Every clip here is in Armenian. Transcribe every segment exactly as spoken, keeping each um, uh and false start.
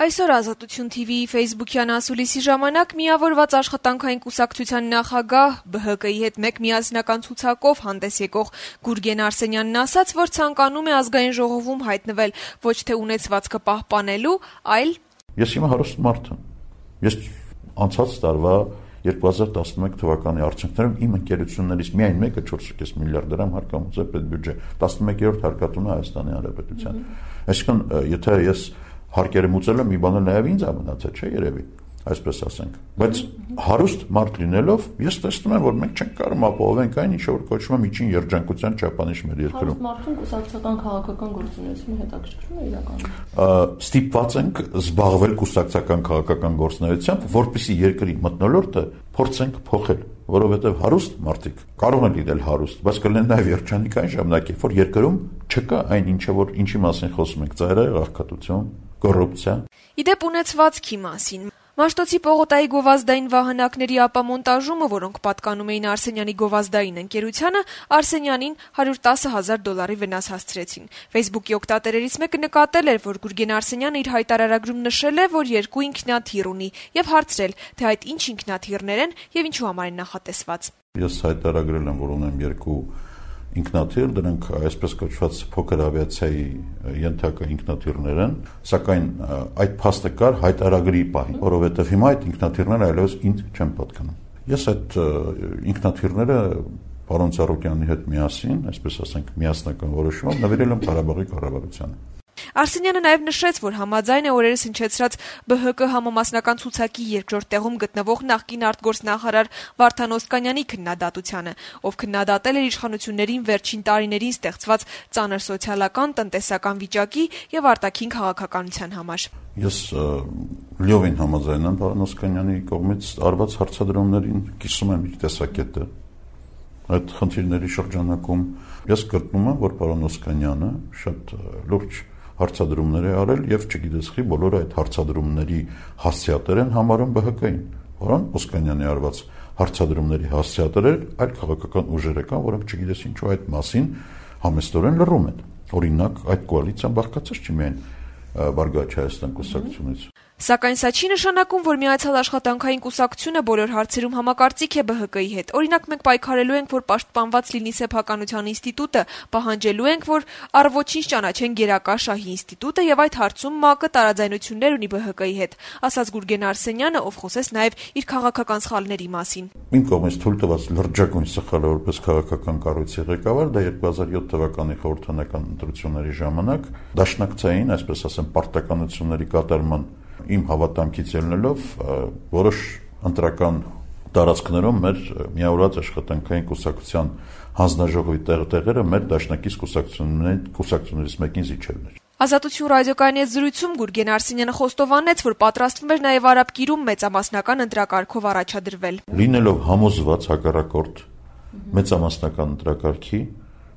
Այսօր Ազատություն թիվիի ֆեյսբուքյան ասուլիսի ժամանակ միավորված աշխատանքային կուսակցության նախագահ Բ Հ Կ-ի հետ մեկ միասնական ցուցակով հանդես եկող Գուրգեն Արսենյանն ասաց, որ ցանկանում է ազգային ժողովում հայտնվել ոչ թե ունեցվածքը պահպանելու, այլ Ես հիմա հարուստ մարդ եմ։ Ես անցած տարվա երկու հազար տասնմեկ թվականի արդյունքներում իմ ընկերություններից միայն մեկը չորս կես միլիարդ դրամ հարկամուծ է պետբյուջե, տասնմեկերորդ հարկատուն է Հայաստանի Հանրապետության։ Այսինքն, եթե ես հարկերը մուծել եմ, մի բանը նաև ինձ է մնացել, չէ՞ երևի, այսպես ասենք։ Բայց հարուստ մարդ լինելով, ես տեսնում եմ, որ մենք չենք կարող ապահովենք այն, ինչ որ կոչվում է միջին երջանկության չափանիշ մեր երկրում։ Հարուստ մարդուն կուսակցական քաղաքական գործունեությունը հետաքրքրում է իրականում։ Ստիպված ենք զբաղվել կուսակցական քաղաքական գործունեությամբ, որպեսզի երկրի մթնոլորտը փորձենք փոխել, որովհետև հարուստ մարդիկ կարող են լինել հարուստ, բայց կլինեն նաև երջանիկ այն ժամանակ, որ երկրում չկա այն ինչը որ ինչի մասին խոսում ենք, ծայրահեղ աղքատություն, կոռուպցիա։ Իդեպ ունեցվածքի մասին Մաշտոցի Պողոտայի գովազդային վահանակների ապամոնտաժումը, որոնք պատկանում էին Արսենյանի գովազդային ընկերությանը, Արսենյանին հարյուր տասը հազար դոլարի վնաս հասցրեցին։ Facebook-ի օգտատերերից մեկը նկատել էր, որ Գուրգեն Արսենյանը իր հայտարարագրում նշել է, որ երկու ինքնաթիռ ունի, եւ հարցրել, թե այդ ինչ ինքնաթիռներ են եւ ինչու համար են նախատեսված։ Ես հայտարարել եմ, որ ունեմ երկու ինքնաթիռ, դրանք այսպես կոչված փոքր ավիացիայի ենթակա ինքնաթիռներ են, սակայն այդ փաստը կար հայտարարագրի պահին, որովհետև հիմա այդ ինքնաթիռները այլևս ինձ չեն պատկանում։ Ես այդ ինքնաթիռները պարոն Ծառուկյանի հետ միասին, այսպես ասենք, միասնական որոշումով նվիրել եմ Ղարաբաղի կառավարությանը։ Արսենյանը նաև նշեց, որ համաձայն է օրերս հնչեցրած Բ Հ Կ համամասնական ցուցակի երկրորդ տեղում գտնվող նախկին արտգործնախարար Վարդան Օսկանյանի քննադատությանը, ով քննադատել էր իշխանություններին վերջին տարիներին ստեղծված ծանր սոցիալական, տնտեսական վիճակի եւ արտաքին քաղաքականության համար։ Ես լիովին համաձայն եմ պարոն Օսկանյանի կողմից արված հարցադրումներին, կիսում եմ իր տեսակետը։ Այդ խնդիրների շրջանակում ես գտնում եմ, որ պարոն Օսկանյանը շատ լուրջ հարցադրումներ է արել եւ չգիտես խի բոլորը այդ հարցադրումների հասցեատեր են համարում Բ Հ Կ-ին։ Պարոն Օսկանյանի արված հարցադրումների հասցեատերեր այլ քաղաքական ուժեր կան, որոնք չգիտես ինչու այդ մասին համեստորեն լռում են։ Օրինակ, այդ կոալիցիան բաղկացած չի միայն Բարգավաճ Հայաստան կուսակցությունից։ Սակայն սա չի նշանակում, որ Միացյալ աշխատանքային կուսակցությունը բոլոր հարցերում համակարծիք է Բ Հ Կ-ի հետ։ Օրինակ, մենք պայքարելու ենք, որ պաշտպանված լինի սեփականության ինստիտուտը, պահանջելու ենք, որ առ ոչինչ ճանաչեն գերակա շահի ինստիտուտը եւ այդ հարցում ՄԱԿ-ը տարաձայնություններ ունի Բ Հ Կ-ի հետ, ասաց Գուրգեն Արսենյանը, ով խոսեց նաեւ իր քաղաքական սխալների մասին։ Իմ կողմից թույլ տված լրջագույն սխալը որպես քաղաքական կառույցի ղեկավար, դա երկու հազար յոթ թվականի խորհրդանական ընտրությունների ժամանակ դաշնակցային, այսպես ասեմ, պարտականությունների կատարման իմ հավատամքից ելնելով որոշ ընտրական տարածքներում մեր միավորված աշխատանքային կուսակցության հանձնաժողովի տեղերը մեր դաշնակից կուսակցություններից մեկին զիջելն էր։ Ազատություն ռադիոկայանի հետ զրույցում Գուրգեն Արսենյանը խոստովանեց, որ պատրաստվում էր նաև Արաբկիրում մեծամասնական ընտրակարգով առաջադրվել։ Լինելով համոզված հակառակորդ մեծամասնական ընտրակարգի,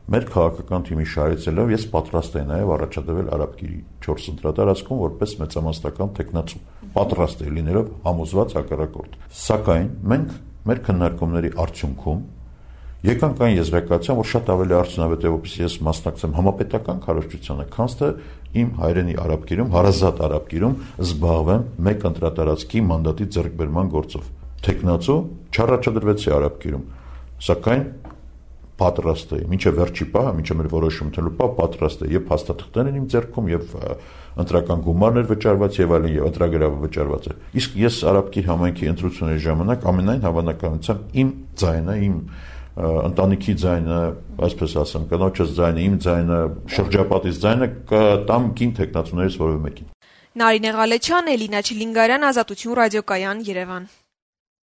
մեր քաղաքական թիմի շարեցելով ես պատրաստ եմ նաև առաջադրվել Արաբկիրի չորս ընտրատարածքում որպես մեծամասնական տեխնացու։ Պատրաստ եմ լինելով համոզված հակառակորդ։ Սակայն մենք մեր քննարկումների արդյունքում եկանք այն եզրակացության, որ շատ ավելի արդյունավետ է, որպես ես մասնակցեմ համապետական քարոզչությանը, քան թե իմ հայրենի Արաբկիրում, հարազատ Արաբկիրում զբաղվեմ մեկ ընտրատարածքի մանդատի ձեռքբերման գործով։ Տեխնացու չառաջադրվեցի Արաբկիրում, սակայն պատրաստ է, մինչև վերջի պահը, մինչև մեր որոշում թելու պահ պատրաստ է եւ հաստատություններ են իմ ձեռքում եւ ընտրական գումարներ վճարված եւ այլն եւ ընտրագրավը վճարված է։ Իսկ ես Արաբկիր համայնքի ընտրությունների ժամանակ ամենայն հավանականությամբ իմ ձայնը, իմ ընտանիքի ձայնը, այսպես ասեմ, կնոջս ձայնը, իմ ձայնը, շրջապատից ձայնը կտամ կին տեխնացուներից որևէ մեկին։ Նարինե Ղալեչյան, Էլինա Չիլինգարյան, Ազատություն ռադիոկայան, Երևան։